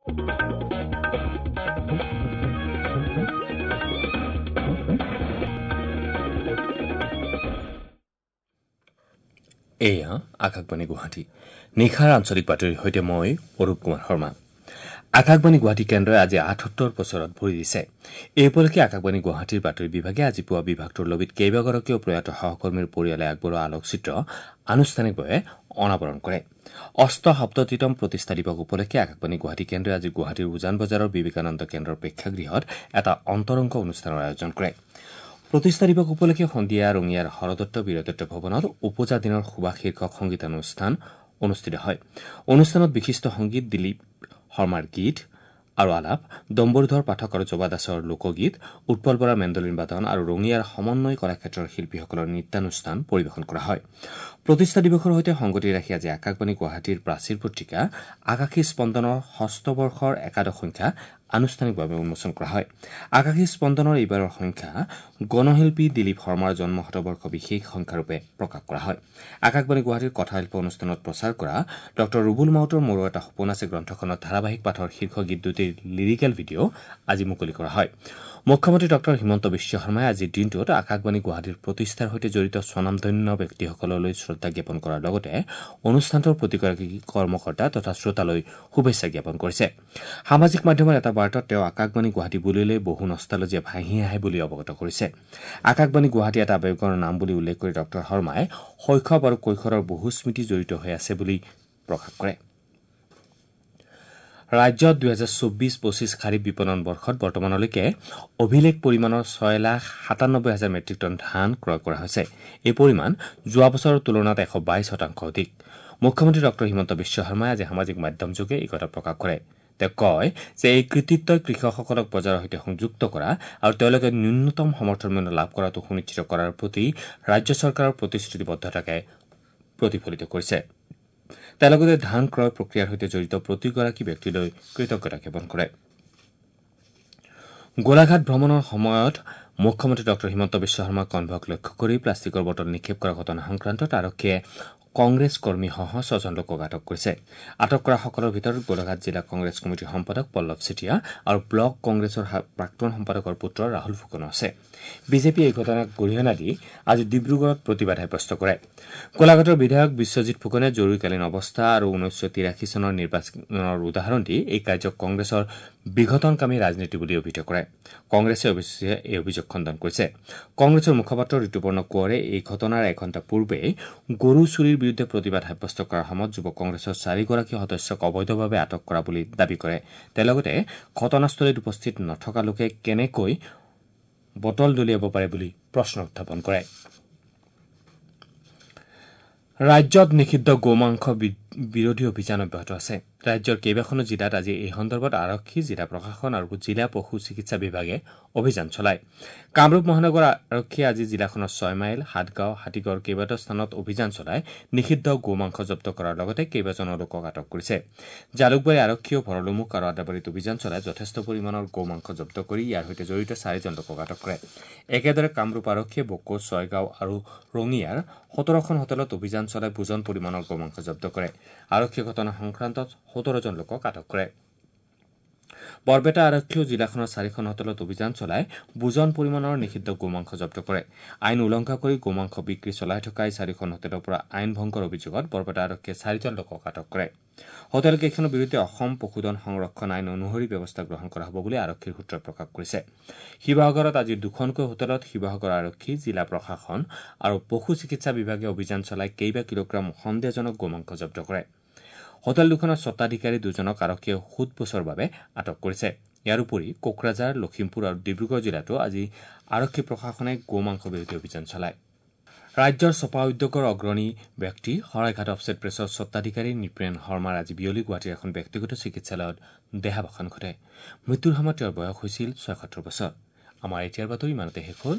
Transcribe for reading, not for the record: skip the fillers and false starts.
এয়া আকাশবাণী গুৱাহাটী। নিশাৰ আঞ্চলিক বাতৰিৰ সৈতে মই অৰূপ কুমাৰ শৰ্মা। আকাশবাণী গুৱাহাটী কেন্দ্ৰই আজি ৭৮ বছৰত ভৰি দিছে। এই উপলক্ষে আকাশবাণী গুৱাহাটীৰ বাতৰি বিভাগে আজি পুৱা বিভাগটোৰ লবিত কেইবাগৰাকীও প্ৰয়াত সহকৰ্মীৰ পৰিয়ালে আগবঢ়োৱা আলোকচিত্ৰ আনুষ্ঠানিকভাৱে অনাবৰণ কৰে। ৭৮তম প্ৰতিষ্ঠা দিৱস উপলক্ষে আকাশবাণী গুৱাহাটী কেন্দ্ৰই আজি গুৱাহাটীৰ উজান বজাৰৰ বিবেকানন্দ কেন্দ্ৰৰ প্ৰেক্ষাগৃহত এটা অন্তৰংগ অনুষ্ঠানৰ আয়োজন কৰে। প্ৰতিষ্ঠা দিৱস উপলক্ষে সন্ধিয়া ৰঙিয়াৰ হৰদত্ত বীৰদত্ত ভৱনত ওপজা দিনৰ সুবাস শীৰ্ষক সংগীতানুষ্ঠান অনুষ্ঠিত হয়। অনুষ্ঠানত বিশিষ্ট সংগীত দিলীপ শৰ্মাৰ গীত আৰু আলাপ, ডম্বৰুধৰ পাঠক আৰু জবা দাসৰ লোকগীত, উৎপল বৰাৰ মেণ্ডলিন বাদন আৰু ৰঙিয়াৰ সমন্বয় কলাক্ষেত্ৰৰ শিল্পীসকলৰ নৃত্যানুষ্ঠান পৰিৱেশন কৰা হয়। প্ৰতিষ্ঠা দিৱসৰ সৈতে সংগতি ৰাখি আজি আকাশবাণী গুৱাহাটীৰ প্ৰাচীৰ পত্ৰিকা আকাশী স্পন্দনৰ ষষ্ঠ বৰ্ষৰ একাদশ সংখ্যা আনুষ্ঠানিকভাৱে উন্মোচন কৰা হয়। আকাশী স্পন্দনৰ এইবাৰৰ সংখ্যা গণশিল্পী দিলীপ শৰ্মাৰ জন্ম শতবৰ্ষ বিশেষ সংখ্যাৰূপে প্ৰকাশ কৰা হয়। আকাশবাণী গুৱাহাটীৰ কথাশিল্প অনুষ্ঠানত প্ৰচাৰ কৰা ডঃ ৰুবুল মাউতৰ মোৰো এটা সপোন আছে গ্ৰন্থখনৰ ধাৰাবাহিক পাঠৰ শীৰ্ষ গীত দুটিৰ লিৰিকেল ভিডিঅ' আজি মুকলি কৰা হয়। মুখ্যমন্ত্ৰী ডঃ হিমন্ত বিশ্ব শৰ্মাই আজিৰ দিনটোত আকাশবাণী গুৱাহাটীৰ প্ৰতিষ্ঠাৰ সৈতে জড়িত স্বনামধন্য ব্যক্তিসকললৈ শ্ৰদ্ধা জ্ঞাপন কৰাৰ লগতে অনুষ্ঠানটোৰ প্ৰতিগৰাকী কৰ্মকৰ্তা তথা শ্ৰোতালৈ শুভেচ্ছা জ্ঞাপন কৰিছে। সামাজিক মাধ্যমৰ এটা বাৰ্তাত তেওঁ আকাশবাণী গুৱাহাটী বুলিলে বহু নষ্টালজিয়া ভাঁহি আহে বুলি অৱগত কৰিছে। আকাশবাণী গুৱাহাটী এটা আৱেগৰ নাম বুলি উল্লেখ কৰি ডঃ শৰ্মাই শৈশৱ আৰু কৈশোৰৰ বহু স্মৃতি জড়িত হৈ আছে বুলি প্ৰকাশ কৰে। ৰাজ্যত ২০২৪-২৫ খাৰিফ বিপণন বৰ্ষত বৰ্তমানলৈকে অভিলেখ পৰিমাণৰ ৬,৯৭,০০০ মেট্ৰিক টন ধান ক্ৰয় কৰা হৈছে। এই পৰিমাণ যোৱা বছৰৰ তুলনাত ১২২% অধিক। মুখ্যমন্ত্ৰী ডঃ হিমন্ত বিশ্ব শৰ্মাই আজি সামাজিক মাধ্যমযোগে এই কথা প্ৰকাশ কৰে। তেওঁ কয় যে এই কৃতিত্বই কৃষকসকলক বজাৰৰ সৈতে সংযুক্ত কৰা আৰু তেওঁলোকে ন্যূনতম সমৰ্থন মূল্য লাভ কৰাটো সুনিশ্চিত কৰাৰ প্ৰতি ৰাজ্য চৰকাৰৰ প্ৰতিশ্ৰুতিবদ্ধতাকে প্ৰতিফলিত কৰিছে। তেওঁ লগতে ধান ক্ৰয় প্ৰক্ৰিয়াৰ সৈতে জড়িত প্ৰতিগৰাকী ব্যক্তিলৈ কৃতজ্ঞতা জ্ঞাপন কৰে। গোলাঘাট ভ্ৰমণৰ সময়ত মুখ্যমন্ত্ৰী ডঃ হিমন্ত বিশ্ব শৰ্মাৰ কনভয়ক লক্ষ্য কৰি প্লাষ্টিকৰ বটল নিক্ষেপ কৰা ঘটনা সংক্ৰান্তত আৰক্ষীয়ে কংগ্ৰেছ কৰ্মীসহ ছজন লোকক আটক কৰিছে। আটক কৰাসকলৰ ভিতৰত গোলাঘাট জিলা কংগ্ৰেছ কমিটিৰ সম্পাদক পল্লৱ চেতিয়া আৰু ব্লক কংগ্ৰেছৰ প্ৰাক্তন সম্পাদকৰ পুত্ৰ ৰাহুল ফুকনো আছে। বিজেপিয়ে এই ঘটনাক গৰিহণা দি আজি ডিব্ৰুগড়ত প্ৰতিবাদ সাব্যস্ত কৰে। গোলাঘাটৰ বিধায়ক বিশ্বজিৎ ফুকনে জৰুৰীকালীন অৱস্থা আৰু ১৯৮৩ চনৰ নিৰ্বাচনৰ উদাহৰণ দি এই কাৰ্যক কংগ্ৰেছৰ বিঘটনকামী ৰাজনীতি বুলি অভিহিত কৰে। কংগ্ৰেছে অৱশ্যে এই অভিযোগ খণ্ডন কৰিছে। কংগ্ৰেছৰ মুখপাত্ৰ ঋতুপৰ্ণ কোঁৱৰে এই ঘটনাৰ এঘণ্টা পূৰ্বে গৰু চুৰিৰ বিৰুদ্ধে প্ৰতিবাদ সাব্যস্ত কৰাৰ সময়ত যুৱ কংগ্ৰেছৰ চাৰিগৰাকী সদস্যক অবৈধভাৱে আটক কৰা বুলি দাবী কৰে। তেওঁ লগতে ঘটনাস্থলীত উপস্থিত নথকা লোকে কেনেকৈ বটল দলিয়াব পাৰে বুলি প্ৰশ্ন উত্থাপন কৰে। ৰাজ্যত নিষিদ্ধ গোমাংস বিৰোধী অভিযান অব্যাহত আছে। ৰাজ্যৰ কেইবাখনো জিলাত আজি এই সন্দৰ্ভত আৰক্ষী, জিলা প্ৰশাসন আৰু জিলা পশু চিকিৎসা বিভাগে অভিযান চলায়। কামৰূপ মহানগৰ আৰক্ষীয়ে আজি জিলাখনৰ ৬ মাইল, সাতগাঁও, হাতীগড় কেইবাটাও স্থানত অভিযান চলাই নিষিদ্ধ গোমাংস জব্দ কৰাৰ লগতে কেইবাজনো লোকক আটক কৰিছে। জালুকবাৰী আৰক্ষীয়েও ভৰলুমুখ আৰু আদাবাৰীত অভিযান চলাই যথেষ্ট পৰিমাণৰ গোমাংস জব্দ কৰি ইয়াৰ সৈতে জড়িত চাৰিজন লোকক আটক কৰে। একেদৰে কামৰূপ আৰক্ষীয়ে বকো, ছয়গাঁও আৰু ৰঙিয়াৰ ১৭খন হোটেলত অভিযান চলাই বুজন পৰিমাণৰ গোমাংস জব্দ কৰে। আৰক্ষীয়ে ঘটনা সংক্ৰান্তত ১৭জন লোকক আটক কৰে। বৰপেটা আৰক্ষীয়েও জিলাখনৰ চাৰিখন হোটেলত অভিযান চলাই বুজন পৰিমাণৰ নিষিদ্ধ গোমাংস জব্দ কৰে। আইন উলংঘা কৰি গোমাংস বিক্ৰী চলাই থকা এই চাৰিখন হোটেলৰ পৰা আইন ভংগৰ অভিযোগত বৰপেটা আৰক্ষীয়ে চাৰিজন লোকক আটক কৰে। হোটেল কেইখনৰ বিৰুদ্ধে অসম পশুধন সংৰক্ষণ আইন অনুসৰি ব্যৱস্থা গ্ৰহণ কৰা হ'ব বুলি আৰক্ষীৰ সূত্ৰই প্ৰকাশ কৰিছে। শিৱসাগৰত আজি দুখনকৈ হোটেলত শিৱসাগৰ আৰক্ষী, জিলা প্ৰশাসন আৰু পশু চিকিৎসা বিভাগে অভিযান চলাই কেইবা কিলোগ্ৰাম সন্দেহজনক গোমাংস জব্দ কৰে। হোটেল দুখনৰ স্বত্বাধিকাৰী দুজনক আৰক্ষীয়ে সোধ পোছৰ বাবে আটক কৰিছে। ইয়াৰ উপৰি কোকৰাঝাৰ, লখিমপুৰ আৰু ডিব্ৰুগড় জিলাতো আজি আৰক্ষী প্ৰশাসনে গোমাংস বিৰোধী অভিযান চলায়। ৰাজ্যৰ ছপা উদ্যোগৰ অগ্ৰণী ব্যক্তি শৰাইঘাট অফছেট প্ৰেছৰ স্বত্বাধিকাৰী নৃপেন শৰ্মাৰ আজি বিয়লি গুৱাহাটীৰ এখন ব্যক্তিগত চিকিৎসালয়ত দেহাৱসান ঘটে। মৃত্যুৰ সময়ত তেওঁৰ বয়স হৈছিল ৭৬ বছৰ। আমাৰ এতিয়াৰ বাতৰি ইমানতে শেষ হ'ল।